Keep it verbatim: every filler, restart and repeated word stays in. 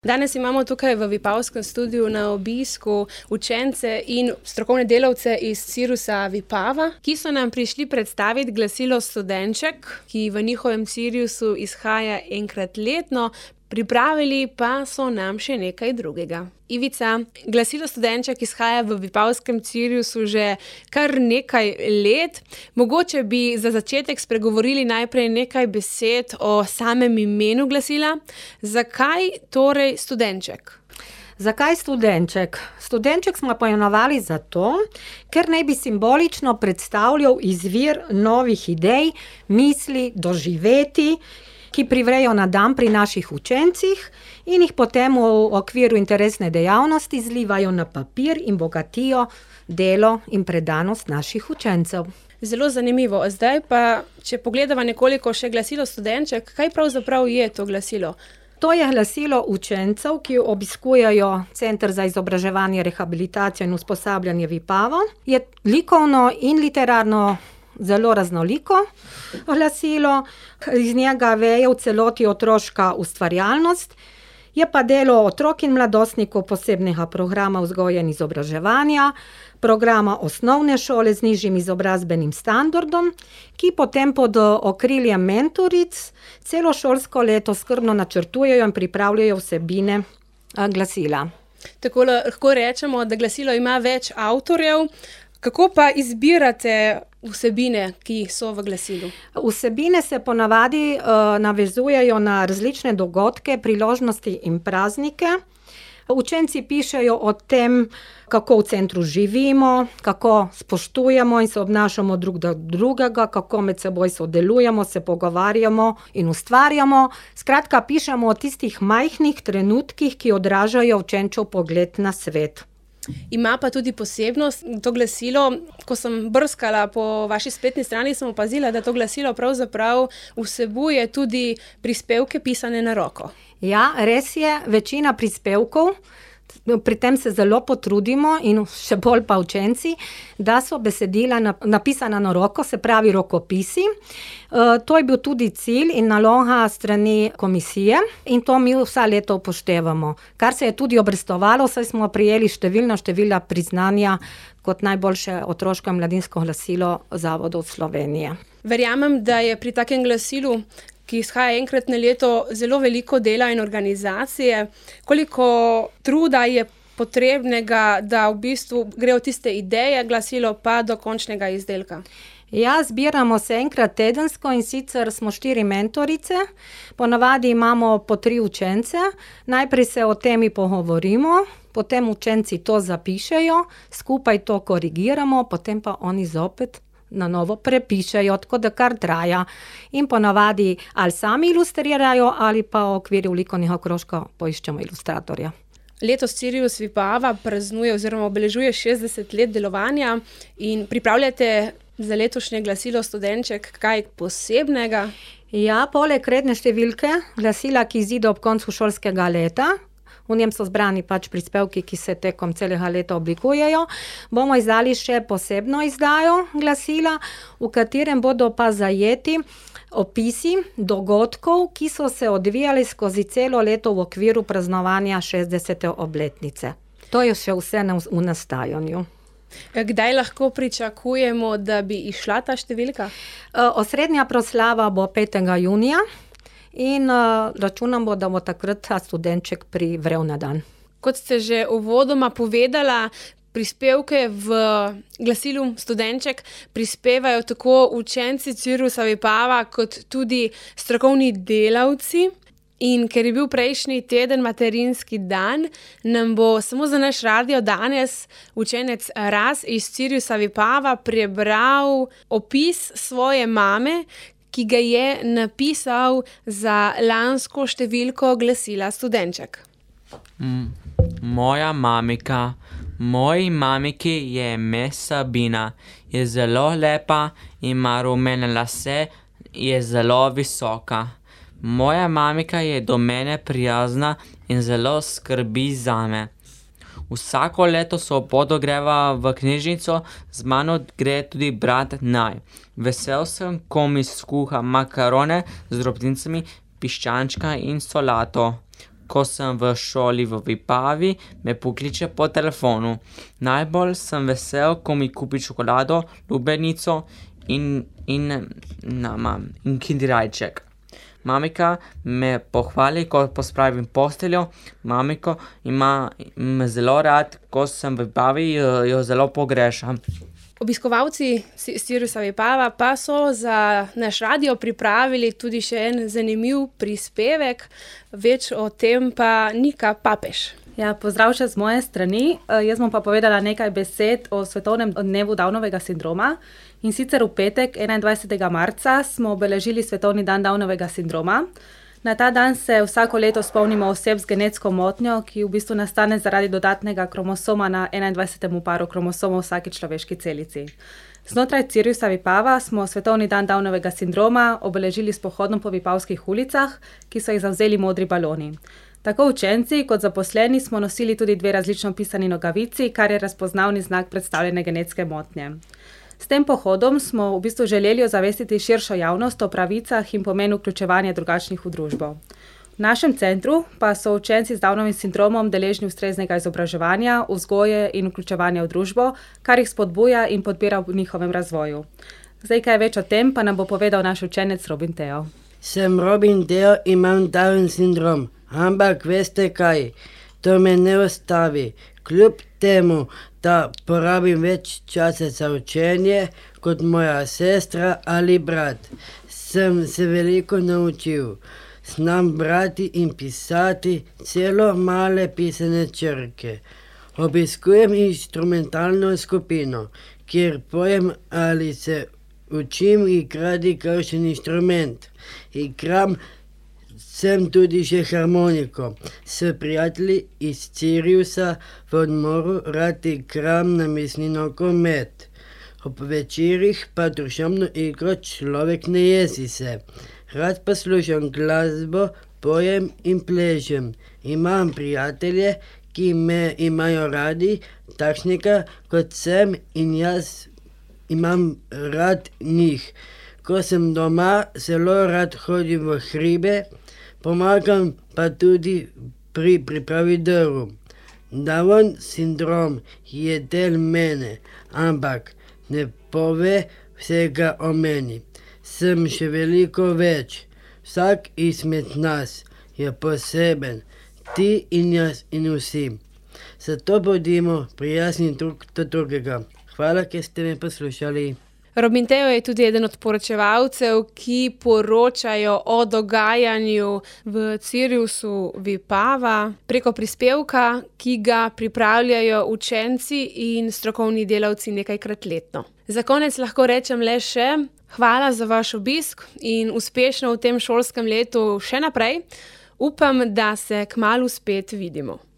Danes imamo tukaj v Vipavskem studiu na obisku učence in strokovne delavce iz Cirusa Vipava, ki so nam prišli predstaviti glasilo Studenček, ki v njihovem Cirusu izhaja enkrat letno, pripravili pa so nam še nekaj drugega. Ivica, glasilo Studenček izhaja v Vipavskem Cirusu že kar nekaj let. Mogoče bi za začetek spregovorili najprej nekaj besed o samem imenu glasila. Zakaj torej Studenček? Zakaj Studenček? Studenček smo poimenovali zato, ker naj bi simbolično predstavljal izvir novih idej, misli, doživetij, ki privrejo na dan pri naših učencih in jih potem v okviru interesne dejavnosti zlivajo na papir in bogatijo delo in predanost naših učencev. Zelo zanimivo. Zdaj pa, če pogledava nekoliko še glasilo Studenček, kaj pravzaprav je to glasilo? To je glasilo učencev, ki obiskujejo Center za izobraževanje, rehabilitacijo in usposabljanje Vipava. Je likovno in literarno zelo raznoliko glasilo, iz njega veje v celoti otroška ustvarjalnost, je pa delo otrok in mladostnikov posebnega programa vzgoje in izobraževanja, programa osnovne šole z nižjim izobrazbenim standardom, ki potem pod okriljem mentoric celo šolsko leto skrbno načrtujejo in pripravljajo vsebine glasila. Tako lahko rečemo, da glasilo ima več avtorjev. Kako pa izbirate vsebine, ki so v glasilu? Vsebine se ponavadi uh, navezujejo na različne dogodke, priložnosti in praznike. Učenci pišejo o tem, kako v centru živimo, kako spoštujemo in se obnašamo drug do drugega, kako med seboj sodelujemo, se pogovarjamo in ustvarjamo. Skratka, pišemo o tistih majhnih trenutkih, ki odražajo učenčev pogled na svet. Ima pa tudi posebnost to glasilo. Ko sem brskala po vaši spletni strani, sem opazila, da to glasilo pravzaprav vsebuje tudi prispevke pisane na roko. Ja, res je, večina prispevkov, pri tem se zelo potrudimo in še bolj pa učenci, da so besedila napisana na roko, se pravi rokopisi. To je bil tudi cilj in naloga strani komisije in to mi vsa leta upoštevamo. Kar se je tudi obrestovalo, saj smo prejeli številna števila priznanja kot najboljše otroško in mladinsko glasilo zavodov Slovenije. Verjamem, da je pri takem glasilu, ki izhaja enkrat na leto, zelo veliko dela in organizacije. Koliko truda je potrebnega, da v bistvu gre od tiste ideje glasilo pa do končnega izdelka? Ja, zbiramo se enkrat tedensko in sicer smo štiri mentorice. Ponavadi imamo po tri učence. Najprej se o temi pogovorimo, potem učenci to zapišejo, skupaj to korigiramo, potem pa oni zopet na novo prepišejo, tako da kar traja. In ponavadi ali sami ilustrirajo ali pa v okviru likovnega krožka poiščemo ilustratorja. Letos Cirus Vipava praznuje oziroma obeležuje šestdeset let delovanja in pripravljate za letošnje glasilo Studenček kaj posebnega? Ja, poleg redne številke glasila, ki izide ob koncu šolskega leta, v njem so zbrani pač prispevki, ki se tekom celega leta oblikujejo, bomo izdali še posebno izdajo glasila, v katerem bodo pa zajeti opisi dogodkov, ki so se odvijali skozi celo leto v okviru praznovanja šestdesete obletnice. To je še vse v nastajanju. Kdaj lahko pričakujemo, da bi išla ta številka? Osrednja proslava bo petega junija. In uh, računamo, da bo takrat Studenček privrel na dan. Kot ste že uvodoma povedala, prispevke v glasilu Studenček prispevajo tako učenci Cirusa Vipava kot tudi strokovni delavci. In ker je bil prejšnji teden materinski dan, nam bo samo za naš radio danes učenec Ras iz Cirusa Vipava prebral opis svoje mame, ki ga je napisal za lansko številko glasila Studenček. M- moja mamika, moji mamiki je ime Sabina, je zelo lepa, ima rumene lase, je zelo visoka. Moja mamika je do mene prijazna in zelo skrbi zame. Vsako leto soboto greva v knjižnico, z mano gre tudi brat Naj. Vesel sem, ko mi skuha makarone z drobtincami, piščančka in solato. ko sem v šoli v Vipavi, me pokliče po telefonu. Najbolj sem vesel, ko mi kupi čokolado, lubenico in, in, nama, in kinderjajček. Mamika me pohvali, ko pospravim posteljo. Mamiko ima me zelo rad, ko sem v Vipavi, jo, jo zelo pogrešam. Obiskovalci Cirusa Vipava pa so za naš radio pripravili tudi še en zanimiv prispevek, več o tem pa Nika Papež. Ja, pozdrav še z moje strani. Jaz bom pa povedala nekaj besed o svetovnem dnevu Downovega sindroma. In sicer v petek, enaindvajsetega marca, smo obeležili svetovni dan Downovega sindroma. Na ta dan se vsako leto spomnimo oseb z genetsko motnjo, ki v bistvu nastane zaradi dodatnega kromosoma na enaindvajsetem paru kromosomov vsaki človeški celici. Znotraj Cirusa Vipava smo svetovni dan Downovega sindroma obeležili s pohodom po vipavskih ulicah, ki so jih zavzeli modri baloni. Tako učenci kot zaposleni smo nosili tudi dve različno pisani nogavici, kar je razpoznavni znak predstavljene genetske motnje. S tem pohodom smo v bistvu želeli ozavestiti širšo javnost o pravicah in pomenu vključevanja drugačnih v družbo. V našem centru pa so učenci z Downovim sindromom deležni ustreznega izobraževanja, vzgoje in vključevanja v družbo, kar jih spodbuja in podpira v njihovem razvoju. Zdaj, kaj več o tem, pa nam bo povedal naš učenec Robin Teo. Sem Robin Teo, imam Down sindrom, ampak veste kaj, to me ne ostavi. Kljub temu, da porabim več časa za učenje kot moja sestra ali brat, sem se veliko naučil. Znam brati in pisati celo male pisane črke. Obiskujem instrumentalno skupino, kjer pojem ali se učim igrati kakšen inštrument. Igram sem tudi še harmoniko. S prijatelji iz Cirusa v odmoru rad igram namestni nogomet. Ob večerih pa družabno igro Človek ne jezi se. Rad poslušam glasbo, pojem in plešem. Imam prijatelje, ki me imajo radi, takšnega kot sem in jaz imam rad njih. Ko sem doma, zelo rad hodim v hribe, pomagam pa tudi pri pripravi drv. Down sindrom je del mene, ampak ne pove vsega o meni. Sem še veliko več. Vsak izmed nas je poseben, ti in jaz in vsi. Zato bodimo prijazni drug do drugega. Hvala, ker ste me poslušali. Robin Teo je tudi eden od poročevalcev, ki poročajo o dogajanju v Cirusu Vipava preko prispevka, ki ga pripravljajo učenci in strokovni delavci nekajkrat letno. Za konec lahko rečem le še hvala za vaš obisk in uspešno v tem šolskem letu še naprej. Upam, da se kmalu spet vidimo.